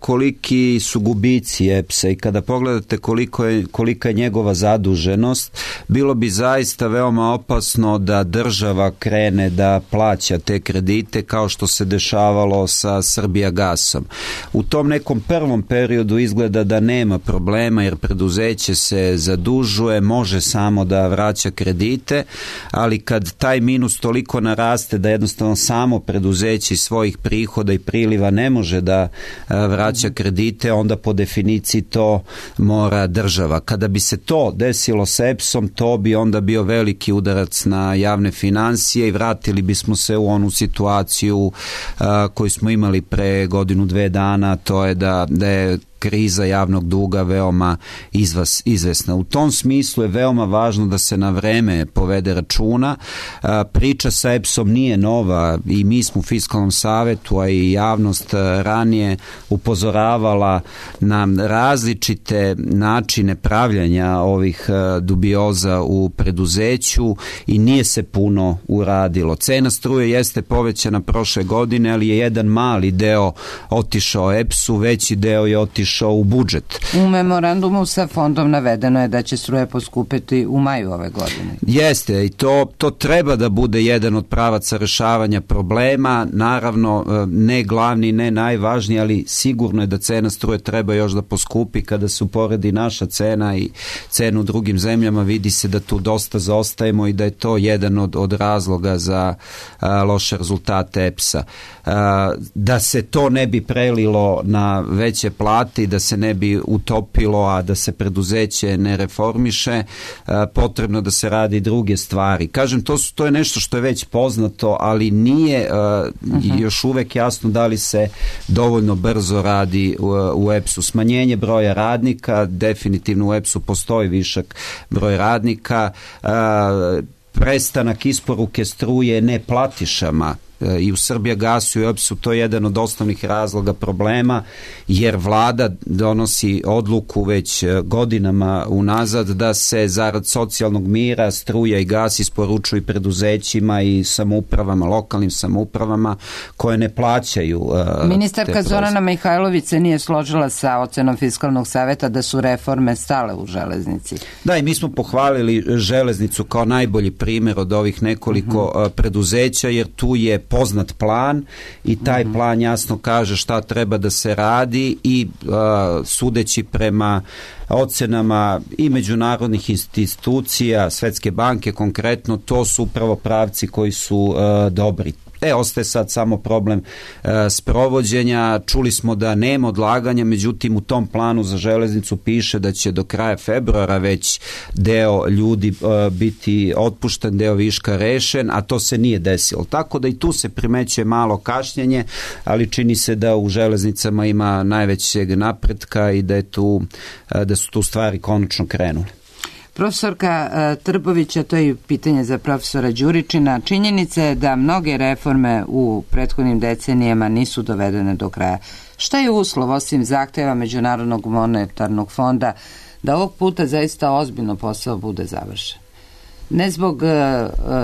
koliki su gubici E P S-a i kada pogledate koliko je, kolika je njegova zaduženost, bilo bi zaista veoma opasno da država krene da plaća te kredite kao što se dešavalo sa Srbijagasom. U tom nekom prvom periodu izgleda da nema problema jer preduzeće se zadužuje, može samo da vraća kredite, ali kad taj minus toliko naraste da jednostavno samo preduzeće iz svojih prihoda i priliva ne može da vraća kredite, onda po definiciji to mora država. Kada bi se to desilo s E P S-om, to bi onda bio veliki udarac na javne financije i vratili bismo se u onu situaciju a, koju smo imali pre godinu, dve dana, to je da, da je kriza javnog duga veoma izvas, izvesna. U tom smislu je veoma važno da se na vreme povede računa. Priča sa E P S-om nije nova i mi smo u Fiskalnom savetu, a i javnost ranije upozoravala na različite načine pravljanja ovih dubioza u preduzeću i nije se puno uradilo. Cena struje jeste povećana prošle godine, ali je jedan mali deo otišao E P S-u, veći deo je otišao u budžet. U memorandumu sa fondom navedeno je da će struje poskupiti u maju ove godine. Jeste, i to, to treba da bude jedan od pravaca rešavanja problema, naravno ne glavni, ne najvažniji, ali sigurno je da cena struje treba još da poskupi. Kada se uporedi naša cena i cenu u drugim zemljama, vidi se da tu dosta zaostajemo i da je to jedan od, od razloga za a, loše rezultate E P S-a. A, da se to ne bi prelilo na veće plate i da se ne bi utopilo, a da se preduzeće ne reformiše, potrebno da se radi druge stvari. Kažem, to, su, to je nešto što je već poznato, ali nije uh-huh. još uvek jasno da li se dovoljno brzo radi u, u E P S-u. Smanjenje broja radnika, definitivno u E P S-u postoji višak broj radnika, uh, prestanak isporuke struje neplatišama i u Srbijagasu i U E P S-u, to je jedan od osnovnih razloga problema, jer vlada donosi odluku već godinama unazad da se zarad socijalnog mira struja i gas isporučuju preduzećima i samoupravama, lokalnim samoupravama koje ne plaćaju. Uh, Ministarka Zorana Mihajlović se nije složila sa ocenom Fiskalnog saveta da su reforme stale u železnici. Da, i mi smo pohvalili železnicu kao najbolji primjer od ovih nekoliko uh-huh. preduzeća, jer tu je poznat plan i taj mm-hmm. plan jasno kaže šta treba da se radi i uh, sudeći prema ocenama i međunarodnih institucija, Svetske banke konkretno, to su upravo pravci koji su uh, dobri. E, ostaje sad samo problem e, sprovođenja. Čuli smo da nema odlaganja, međutim u tom planu za železnicu piše da će do kraja februara već deo ljudi e, biti otpušten, deo viška rešen, a to se nije desilo. Tako da i tu se primećuje malo kašnjenje, ali čini se da u železnicama ima najvećeg napretka i da, je tu, e, da su tu stvari konačno krenule. Profesorka Trbovića, to je pitanje za profesora Đuričina. Činjenica je da mnoge reforme u prethodnim decenijama nisu dovedene do kraja. Šta je uslov, osim zahteva Međunarodnog monetarnog fonda, da ovog puta zaista ozbiljno posao bude završen? Ne zbog uh,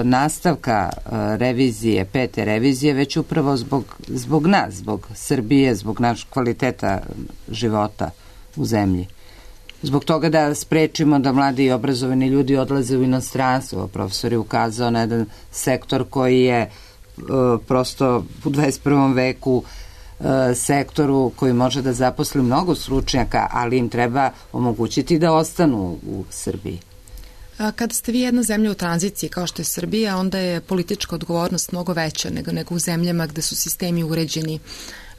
nastavka uh, revizije, pete revizije, već upravo zbog, zbog nas, zbog Srbije, zbog našeg kvaliteta života u zemlji. Zbog toga da sprečimo da mladi i obrazovani ljudi odlaze u inostranstvo. Profesor je ukazao na jedan sektor koji je uh, prosto u dvadeset prvom veku uh, sektoru koji može da zaposli mnogo stručnjaka, ali im treba omogućiti da ostanu u Srbiji. Kada ste vi jedna zemlja u tranziciji kao što je Srbija, onda je politička odgovornost mnogo veća nego, nego u zemljama gde su sistemi uređeni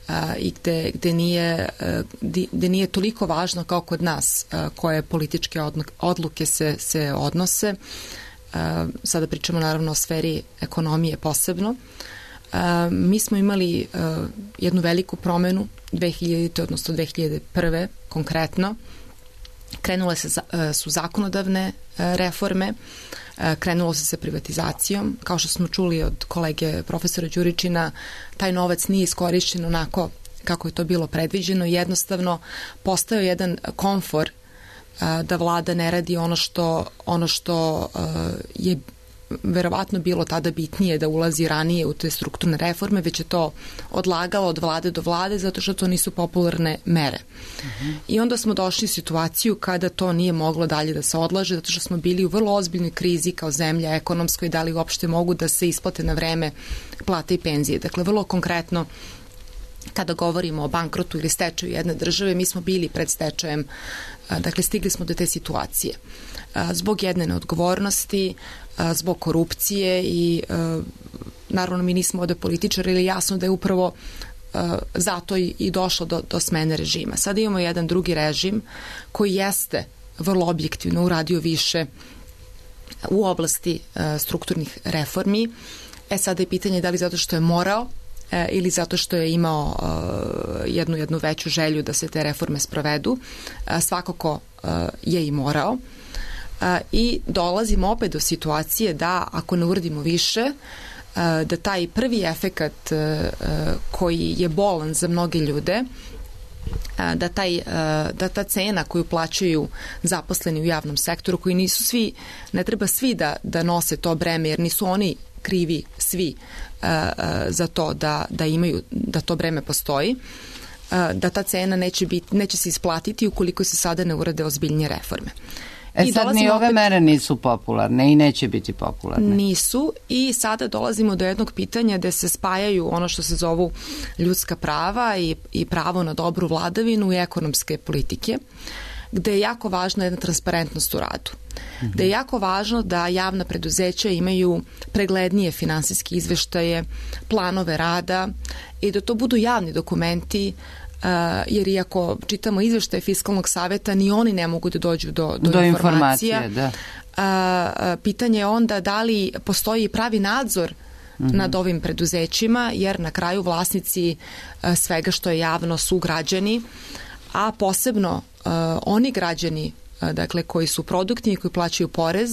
a, i gde, gde, nije, a, gde nije toliko važno kao kod nas a, koje političke odluke se, se odnose. A, sada pričamo naravno o sferi ekonomije posebno. A, mi smo imali a, jednu veliku promenu dve hiljadite odnosno dve hiljade prve konkretno. Krenule se, su zakonodavne reforme, krenulo se sa privatizacijom. Kao što smo čuli od kolege profesora Đuričina, taj novac nije iskorišćen onako kako je to bilo predviđeno. Jednostavno postao jedan komfor da vlada ne radi ono što, ono što je verovatno bilo tada bitnije da ulazi ranije u te strukturne reforme, već je to odlagalo od vlade do vlade zato što to nisu popularne mere. Uh-huh. I onda smo došli u situaciju kada to nije moglo dalje da se odlaže zato što smo bili u vrlo ozbiljnoj krizi kao zemlja ekonomskoj, da li uopšte mogu da se isplate na vreme plate i penzije. Dakle, vrlo konkretno kada govorimo o bankrotu ili stečaju jedne države, mi smo bili pred stečajem, dakle stigli smo do te situacije. Zbog jedne neodgovornosti, zbog korupcije i naravno mi nismo ovde političari, ali jasno da je upravo zato i došlo do, do smene režima. Sada imamo jedan drugi režim koji jeste vrlo objektivno uradio više u oblasti strukturnih reformi. E sada je pitanje da li zato što je morao ili zato što je imao jednu, jednu veću želju da se te reforme sprovedu. Svakako je i morao. I dolazimo opet do situacije da ako ne uradimo više, da taj prvi efekat koji je bolan za mnoge ljude, da, taj, da ta cena koju plaćaju zaposleni u javnom sektoru, koji nisu svi, ne treba svi da, da nose to breme, jer nisu oni krivi svi za to da, da imaju, da to breme postoji, da ta cena neće, biti, neće se isplatiti ukoliko se sada ne urade ozbiljnije reforme. E I sad ni ove opet, mere nisu popularne i neće biti popularne. Nisu i sada dolazimo do jednog pitanja gde se spajaju ono što se zovu ljudska prava i, i pravo na dobru vladavinu i ekonomske politike, gde je jako važna jedna transparentnost u radu. Mm-hmm. Gde je jako važno da javna preduzeća imaju preglednije finansijske izveštaje, planove rada i da to budu javni dokumenti. Uh, jer iako čitamo izveštaje Fiskalnog saveta, ni oni ne mogu da dođu do, do, do informacija. informacije. Da. Uh, pitanje je onda da li postoji pravi nadzor mm-hmm. nad ovim preduzećima, jer na kraju vlasnici uh, svega što je javno su građani, a posebno uh, oni građani dakle koji su produktivni, koji plaćaju porez,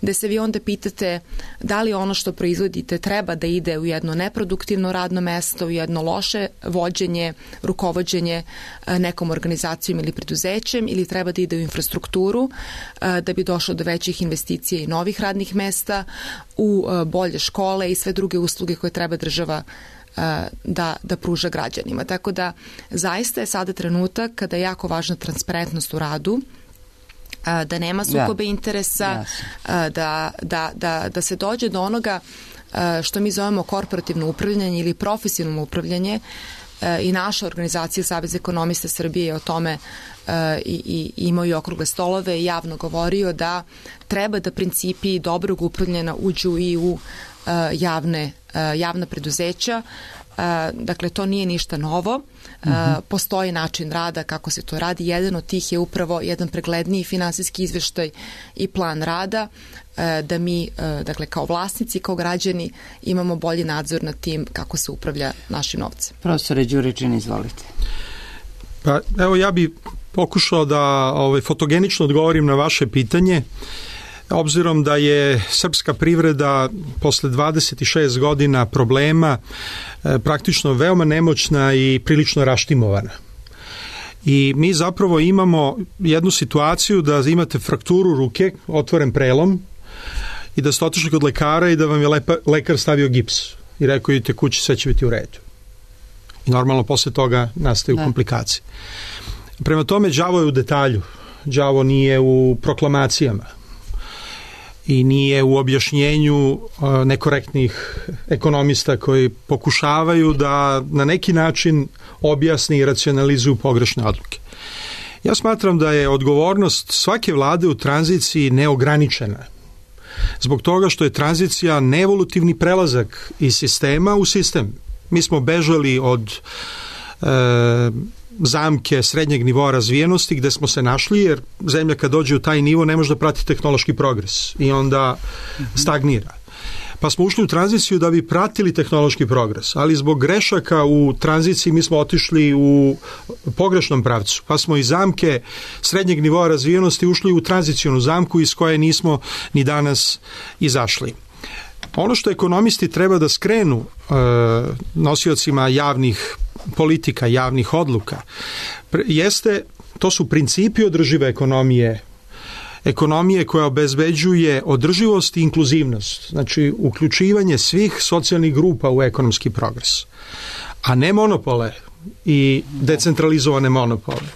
gde se vi onda pitate da li ono što proizvodite treba da ide u jedno neproduktivno radno mesto, u jedno loše vođenje, rukovođenje nekom organizacijom ili preduzećem, ili treba da ide u infrastrukturu da bi došlo do većih investicija i novih radnih mesta, u bolje škole i sve druge usluge koje treba država da, da pruža građanima. Tako da zaista je sada trenutak kada je jako važna transparentnost u radu, da nema sukobe ja. interesa, ja. da, da, da, da se dođe do onoga što mi zovemo korporativno upravljanje ili profesionalno upravljanje, i naša organizacija Savez ekonomista Srbije je o tome i, i imaju okrugle stolove i javno govorio da treba da principi dobrog upravljanja uđu i u javne, javna preduzeća. Dakle, to nije ništa novo. Mm-hmm. Postoji način rada kako se to radi. Jedan od tih je upravo jedan pregledniji finansijski izveštaj i plan rada, da mi, dakle, kao vlasnici, kao građani imamo bolji nadzor nad tim kako se upravlja našim novcem. Profesore Đuričin, izvolite. Pa, evo, ja bi pokušao da ovaj, fotogenično odgovorim na vaše pitanje. Obzirom da je srpska privreda posle dvadeset šest godina problema e, praktično veoma nemoćna i prilično raštimovana. I mi zapravo imamo jednu situaciju da imate frakturu ruke, otvoren prelom, i da ste otišli kod lekara i da vam je lepa, lekar stavio gips i rekao idite kući, sve će biti u redu. I normalno posle toga nastaju da. komplikacije. Prema tome, đavo je u detalju. Đavo nije u proklamacijama i nije u objašnjenju nekorektnih ekonomista koji pokušavaju da na neki način objasni i racionalizuju pogrešne odluke. Ja smatram da je odgovornost svake vlade u tranziciji neograničena. Zbog toga što je tranzicija neevolutivni prelazak iz sistema u sistem. Mi smo bežali od e, zamke srednjeg nivoa razvijenosti gde smo se našli, jer zemlja kad dođe u taj nivo ne može da prati tehnološki progres i onda stagnira. Pa smo ušli u tranziciju da bi pratili tehnološki progres, ali zbog grešaka u tranziciji mi smo otišli u pogrešnom pravcu, pa smo iz zamke srednjeg nivoa razvijenosti ušli u tranzicijonu zamku iz koje nismo ni danas izašli. Ono što ekonomisti treba da skrenu e, nosiocima javnih politika, javnih odluka, jeste, to su principi održive ekonomije, ekonomije koja obezbeđuje održivost i inkluzivnost, znači uključivanje svih socijalnih grupa u ekonomski progres, a ne monopole i decentralizovane monopole.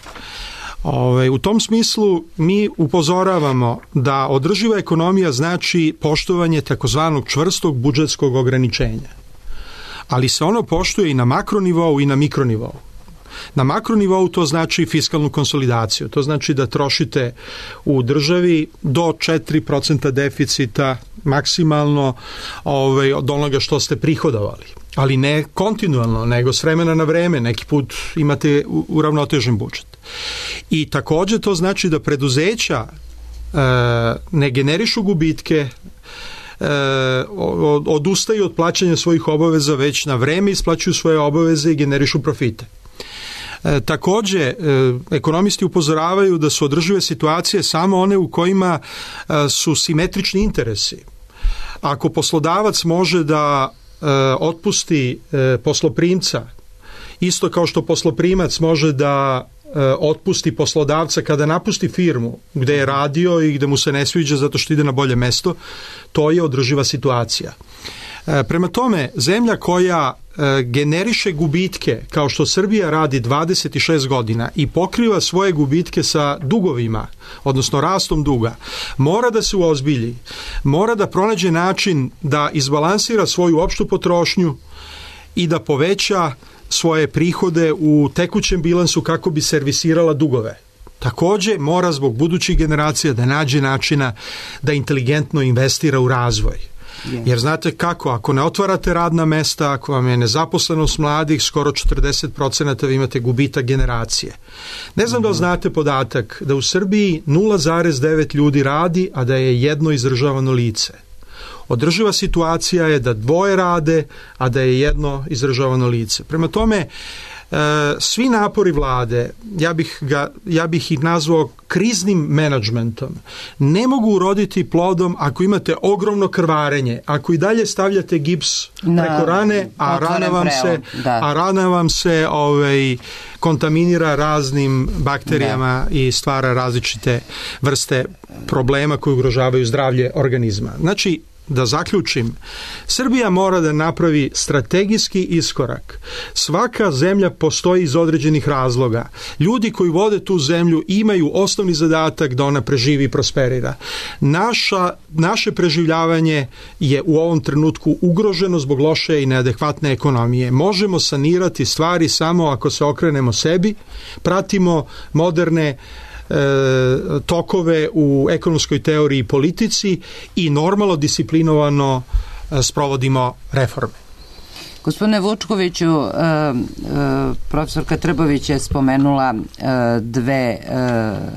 Ove, u tom smislu mi upozoravamo da održiva ekonomija znači poštovanje takozvanog čvrstog budžetskog ograničenja. Ali se ono poštuje i na makronivou i na mikronivou. Na makronivou to znači fiskalnu konsolidaciju. To znači da trošite u državi do četiri procenta deficita maksimalno ovaj, od onoga što ste prihodovali. Ali ne kontinualno, nego s vremena na vreme. Neki put imate uravnotežen budžet. I također to znači da preduzeća e, ne generišu gubitke, E, odustaju od plaćanja svojih obaveza, već na vreme isplaćuju svoje obaveze i generišu profite. E, također, e, ekonomisti upozoravaju da su održive situacije samo one u kojima e, su simetrični interesi. Ako poslodavac može da e, otpusti e, posloprimca, isto kao što posloprimac može da otpusti poslodavca kada napusti firmu gde je radio i gde mu se ne sviđa zato što ide na bolje mesto, to je održiva situacija. Prema tome, zemlja koja generiše gubitke, kao što Srbija radi dvadeset šest godina i pokriva svoje gubitke sa dugovima, odnosno rastom duga, mora da se uozbilji, mora da pronađe način da izbalansira svoju opštu potrošnju i da poveća svoje prihode u tekućem bilansu kako bi servisirala dugove. Također mora zbog budućih generacija da nađe načina da inteligentno investira u razvoj. Jer znate kako, ako ne otvarate radna mesta, ako vam je nezaposlenost mladih skoro četrdeset procenata, vi imate gubitak generacije. Ne znam da li znate podatak da u Srbiji nula zarez devet ljudi radi, a da je jedno izdržavano lice. Održiva situacija je da dvoje rade, a da je jedno izdržavano lice. Prema tome, e, svi napori vlade, ja bih, ga, ja bih ih nazvao kriznim menadžmentom, ne mogu uroditi plodom ako imate ogromno krvarenje, ako i dalje stavljate gips preko rane, a rana vam se, a rana vam se ovaj, kontaminira raznim bakterijama da. i stvara različite vrste problema koji ugrožavaju zdravlje organizma. Znači, da zaključim, Srbija mora da napravi strategijski iskorak. Svaka zemlja postoji iz određenih razloga. Ljudi koji vode tu zemlju imaju osnovni zadatak da ona preživi i prosperira. Naša, naše preživljavanje je u ovom trenutku ugroženo zbog loše i neadekvatne ekonomije. Možemo sanirati stvari samo ako se okrenemo sebi, pratimo moderne tokove u ekonomskoj teoriji i politici i normalno disciplinovano sprovodimo reforme. Gospodine Vučkoviću, profesorka Trbović je spomenula dve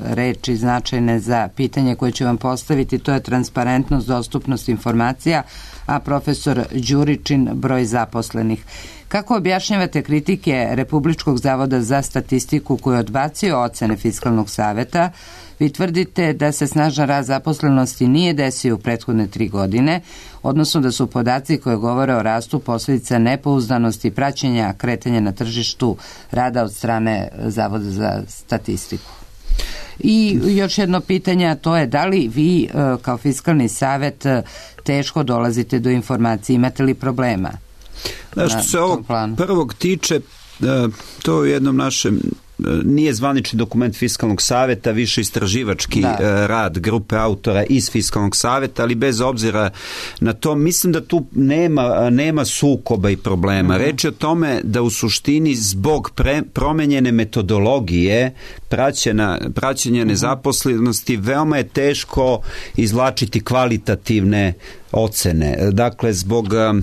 reči značajne za pitanje koje ću vam postaviti, to je transparentnost, dostupnost informacija, a profesor Đuričin broj zaposlenih. Kako objašnjavate kritike Republičkog zavoda za statistiku koji je odbacio ocene Fiskalnog saveta? Vi tvrdite da se snažan rast zaposlenosti nije desio u prethodne tri godine, odnosno da su podaci koje govore o rastu posljedica nepouzdanosti i praćenja kretanja na tržištu rada od strane Zavoda za statistiku. I još jedno pitanje, a to je da li vi kao Fiskalni savet teško dolazite do informacije, imate li problema? Da, što se ovog prvog tiče, to je u jednom našem, nije zvanični dokument Fiskalnog saveta, više istraživački da. rad grupe autora iz Fiskalnog saveta, ali bez obzira na to, mislim da tu nema, nema sukoba i problema. Mm-hmm. Reč je o tome da u suštini zbog pre, promenjene metodologije praćena, praćenja nezaposlenosti veoma je teško izvlačiti kvalitativne ocene. Dakle, zbog a,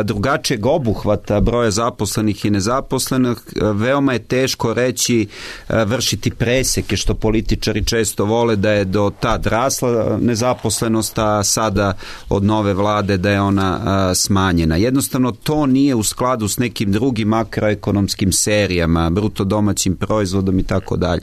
drugačijeg obuhvata broja zaposlenih i nezaposlenih, veoma je teško reći, a, vršiti preseke, što političari često vole, da je do tad rasla nezaposlenost, a sada od nove vlade da je ona a, smanjena. Jednostavno, to nije u skladu s nekim drugim makroekonomskim serijama, bruto domaćim proizvodom i tako dalje.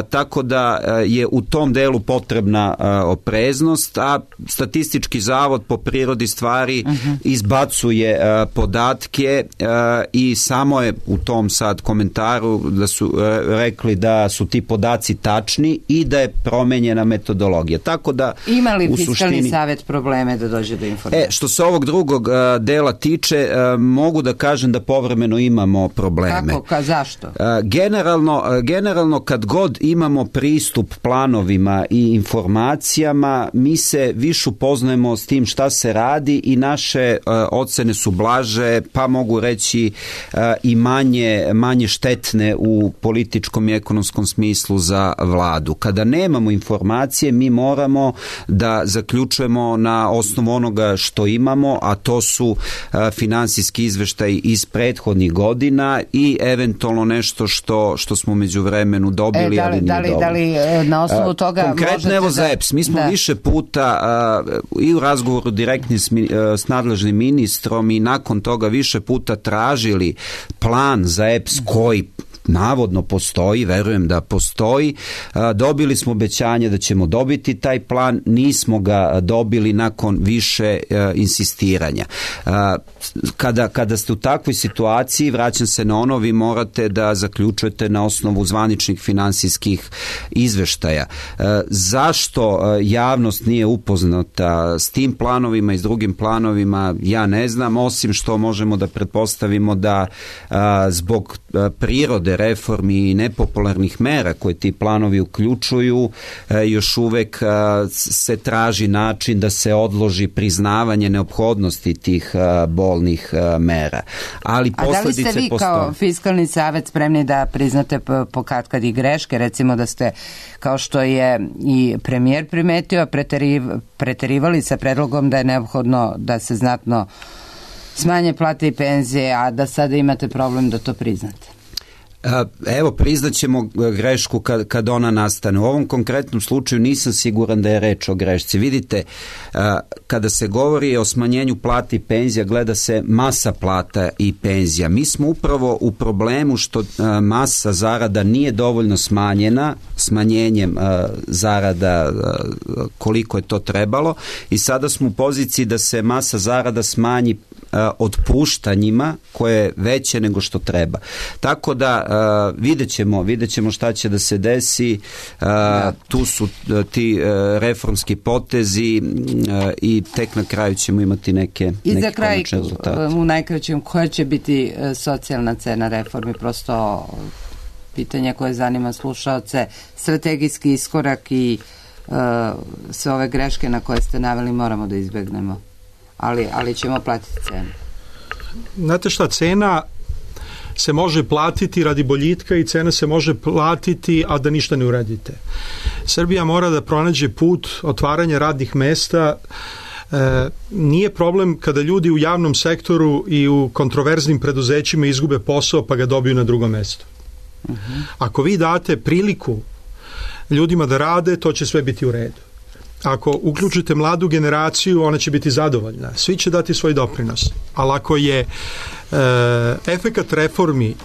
Tako da je u tom delu potrebna a, opreznost, a statistički zavod po prirodi stvari uh-huh. izbacuje uh, podatke uh, i samo je u tom sad komentaru da su uh, rekli da su ti podaci tačni i da je promenjena metodologija. Tako da ima li Fiskalni suštini, savet probleme da dođe do informacije? E, što se ovog drugog uh, dela tiče, uh, mogu da kažem da povremeno imamo probleme. Kako? Ka, zašto? Uh, generalno, uh, generalno kad god imamo pristup planovima i informacijama, mi se više upoznajemo s tim šta se radi i naše uh, ocene su blaže, pa mogu reći uh, i manje, manje štetne u političkom i ekonomskom smislu za vladu. Kada nemamo informacije, mi moramo da zaključujemo na osnovu onoga što imamo, a to su uh, finansijski izveštaji iz prethodnih godina i eventualno nešto što, što smo među vremenu dobili, e, da li, ali nije da li, dobro. Da li na osnovu toga konkretno evo za E P S, mi smo da. više puta uh, i u razgovoru direktni s, uh, s nadležnim ministrom i nakon toga više puta tražili plan za E P S koji navodno postoji, verujem da postoji. Dobili smo obećanje da ćemo dobiti taj plan, nismo ga dobili nakon više insistiranja. Kada, kada ste u takvoj situaciji, vraćam se na ono, vi morate da zaključujete na osnovu zvaničnih finansijskih izveštaja. Zašto javnost nije upoznata s tim planovima i s drugim planovima, ja ne znam, osim što možemo da pretpostavimo da zbog prirode reformi i nepopularnih mera koje ti planovi uključuju, još uvek se traži način da se odloži priznavanje neophodnosti tih bolnih mera. Ali posledice postoje. A da li ste vi postoje. kao Fiskalni savet spremni da priznate po katkad i greške, recimo da ste, kao što je i premijer primetio, preteriv, preterivali sa predlogom da je neophodno da se znatno smanje plate i penzije, a da sada imate problem da to priznate? Evo, priznaćemo grešku kad, kad ona nastane. U ovom konkretnom slučaju nisam siguran da je reč o grešci. Vidite, kada se govori o smanjenju plata i penzija, gleda se masa plata i penzija. Mi smo upravo u problemu što masa zarada nije dovoljno smanjena, smanjenjem zarada koliko je to trebalo, i sada smo u poziciji da se masa zarada smanji otpuštanjima koje je veće nego što treba. Tako da uh, vidjet ćemo, vidjet ćemo šta će da se desi. Uh, tu su uh, ti uh, reformski potezi uh, i tek na kraju ćemo imati neke, I neke za kraj, rezultate. U najkraćem, koja će biti uh, socijalna cena reformi? Prosto pitanje koje zanima slušaoce, strategijski iskorak i uh, sve ove greške na koje ste naveli moramo da izbegnemo. Ali, ali ćemo platiti cenu. Znate šta, cena se može platiti radi boljitka i cena se može platiti, a da ništa ne uradite. Srbija mora da pronađe put otvaranja radnih mesta. E, nije problem kada ljudi u javnom sektoru i u kontroverznim preduzećima izgube posao pa ga dobiju na drugo mesto. Uh-huh. Ako vi date priliku ljudima da rade, to će sve biti u redu. Ako uključite mladu generaciju, ona će biti zadovoljna. Svi će dati svoj doprinos. Ali ako je e, efekat reformi e,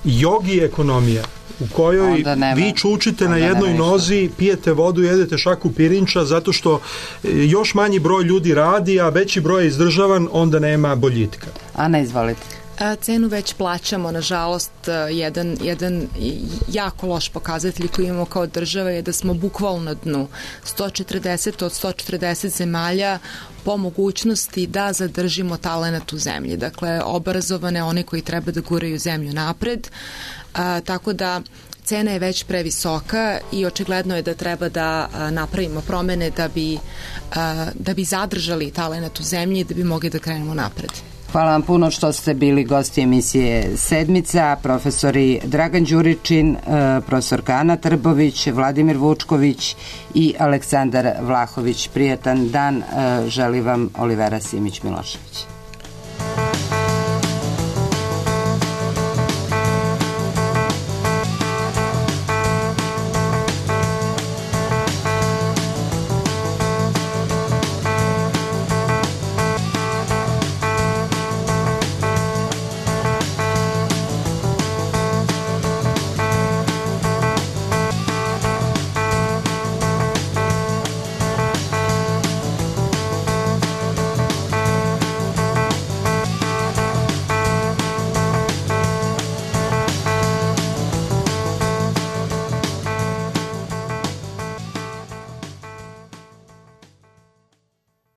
jogi ekonomija u kojoj vi čučite na jednoj nozi, pijete vodu, jedete šaku pirinča zato što još manji broj ljudi radi, a veći broj je izdržavan, onda nema boljitka. Ana, izvolite. Cenu već plaćamo, nažalost, jedan, jedan jako loš pokazatelj koji imamo kao država je da smo bukvalno na dnu. sto četrdeset od sto četrdeset zemalja po mogućnosti da zadržimo talenat u zemlji. Dakle, obrazovane, one koji treba da guraju zemlju napred. A, tako da cena je već previsoka i očigledno je da treba da a, napravimo promene da bi, a, da bi zadržali talenat u zemlji i da bi mogli da krenemo napred. Hvala vam puno što ste bili gosti emisije Sedmica, profesori Dragan Đuričin, profesorka Ana Trbović, Vladimir Vučković i Aleksandar Vlahović. Prijatan dan želi vam Olivera Simić-Milošević.